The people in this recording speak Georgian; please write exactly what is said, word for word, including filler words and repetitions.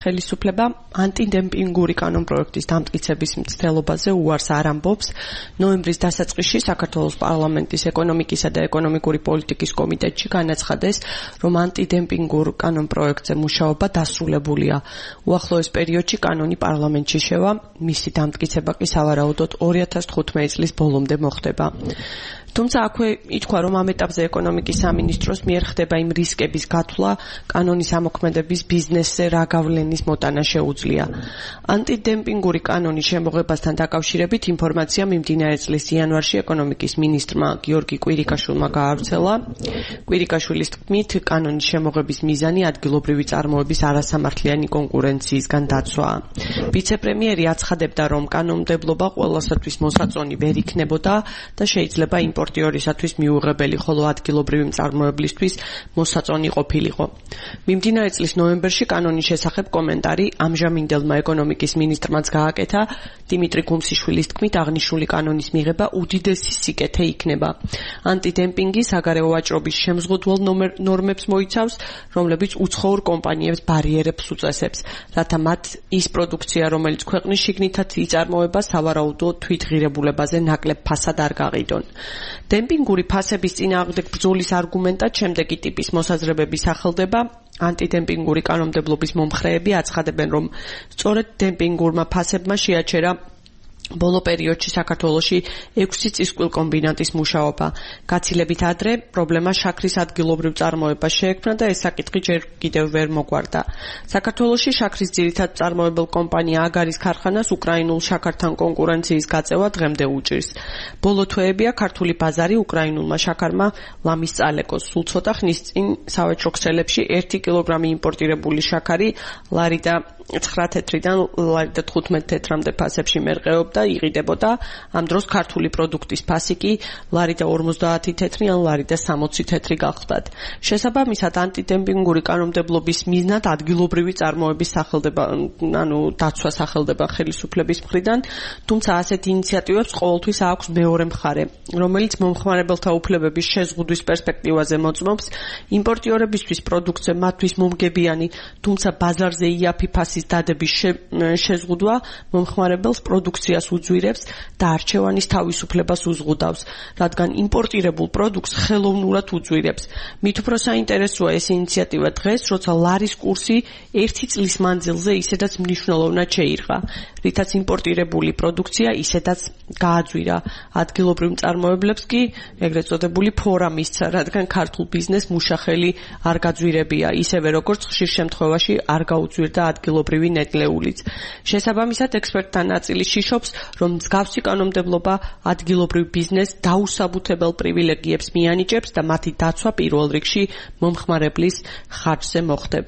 ხელისუფლება ანტიდემპინგური კანონპროექტის დამტკიცების მცდელობაზე უარს არ ამბობს. ნოემბრის დასაწყისში საქართველოს პარლამენტის ეკონომიკისა და ეკონომიკური პოლიტიკის კომიტეტში განაცხადეს, რომ ანტიდემპინგურ კანონპროექტზე მუშაობა დასრულებულია. უახლოეს პერიოდში კანონი პარლამენტში შევა, მისი დამტკიცება კი სავარაუდოდ ორი ათას თხუთმეტი წლის ბოლომდე მოხდება. თუმცა აქვე ითქვა, რომ ამ ეტაპზე ეკონომიკის სამინისტროს მიერ ხდება იმ რისკების გათვლა, კანონის ამოქმედების ბიზნესზე რა გავლენის მოტანა შეუძლია. ანტიდემპინგური კანონის შემოღებასთან დაკავშირებით ინფორმაცია მიმდინარე წლის იანვარში ეკონომიკის მინისტრმა გიორგი კვირიკაშვილმა გაავრცელა. კვირიკაშვილის თქმით, კანონის შემოღების მიზანი ადგილობრივი წარმოების არასამართლიანი კონკურენციისგან დაცვაა. ვიცე-პრემიერი აცხადებდა, რომ კანონმდებლობა ყველასათვის მოსაწონი ვერ იქნებოდა და შეიძლება იმპორტიორისათვის მიუღებელი, ხოლო ადგილობრივი მწარმოებლისთვის მოსაწონი ყოფილიყო. მიმდინარე წლის ნოემბერში კანონის შესახებ კომენტარი ამჟამინდელმა ეკონომიკის მინისტრმაც გააკეთა. დიმიტრი გუმსიშვილის თქმით, აღნიშნული კანონის მიღება უდიდესი სიკეთე იქნება. ანტიდემპინგი საგარეო ვაჭრობის შემზღუდვალ ნორმებს მოიცავს, რომლებიც უცხოურ კომპანიებს ბარიერებს უწესებს, რათა მათ ის პროდუქცია, რომელიც ქვეყნის შიგნითაც იწარმოება, სავარაუდოდ თვითღირებულებაზე ნაკლებ ფასად არ გაყიდონ. დემპინგური ფასების წინააღმდეგ ბრძოლის არგუმენტად შემდეგი ტიპის მოსაზრებები სახელდება. ანტიდემპინგური კანონმდებლობის მომხრეები აცხადებენ, რომ სწორედ დემპინგურმა ფასებმა შეაჩერა ბოლო პერიოდში საქართველოში ექვსი წისკვილ კომბინატის მუშაობა. გაცილებით ადრე პრობლემა შაქრის ადგილობრივ წარმოებას შეექმნა და ეს საკითხი ჯერ კიდევ ვერ მოგვარდა. საქართველოში შაქრის ძირითად მწარმოებელ კომპანია აგარის ქარხანას უკრაინულ შაქართან კონკურენციის გაწევა დღემდე უჭირს. ბოლო თვეებია ქართული ბაზარი უკრაინულმა შაქარმა ლამის წალეკოს. სულ ცოტა ხნის წინ სავაჭრო ქსელებში ერთი კილოგრამი იმპორტირებული შაქარი ლარი და ცხრა თეთრიდან ლარი და თხუთმეტ თეთრამდე ფასებში მერყეობდა, იყიდებოდა. ამ დროს ქართული პროდუქტის ფასი კი ლარი და ორმოცდაათი თეთრი ან ლარი და სამოცი თეთრი გახლდათ. შესაბამისად, ანტიდემპინგური კანონმდებლობის მიზნად ადგილობრივი წარმოების სახელდება, ანუ დაცვა სახელდება ხელისუფლების მხრიდან, თუმცა ასეთ ინიციატივებს ყოველთვის აქვს მეორე მხარე, რომელიც მომხმარებელთა უფლებების შეზღუდვის პერსპექტივაზე მოწმობს. იმპორტიორებისთვის პროდუქტზე მათთვის მომგებიანი, თუმცა ბაზარზე იაფი ფასის დადების შეზღუდვა მომხმარებელს პროდუქციას უძვირებს და არჩევანის თავისუფლებას უზღუდავს, რადგან იმპორტირებულ პროდუქტს ხელოვნურად უძვირებს. მით უფრო საინტერესოა ეს ინიციატივა დღეს, როცა ლარის კურსი ერთი წლის მანძილზე ისედაც მნიშვნელოვნად შეირღა, რითაც იმპორტირებული პროდუქცია ისედაც გააძვირა. ადგილობრივ მწარმოებლებს კი ეგრეთ წოდებული ფორა მისცა, რადგან ქართულ ბიზნესს მუშახელი არ გაძვირებია, ისევე როგორც ხშირ შემთხვევაში არ გაუძვირდა ადგილობრივ ნედლეულიც. შესაბამისად, ექსპერტთა ნაწილი შიშობს, რომ მსგავსი კანონმდებლობა ადგილობრივ ბიზნესს დაუსაბუთებელ პრივილეგიებს მიანიჭებს და მათი დაცვა პირველ რიგში მომხმარებლის ხარჯზე მოხდება.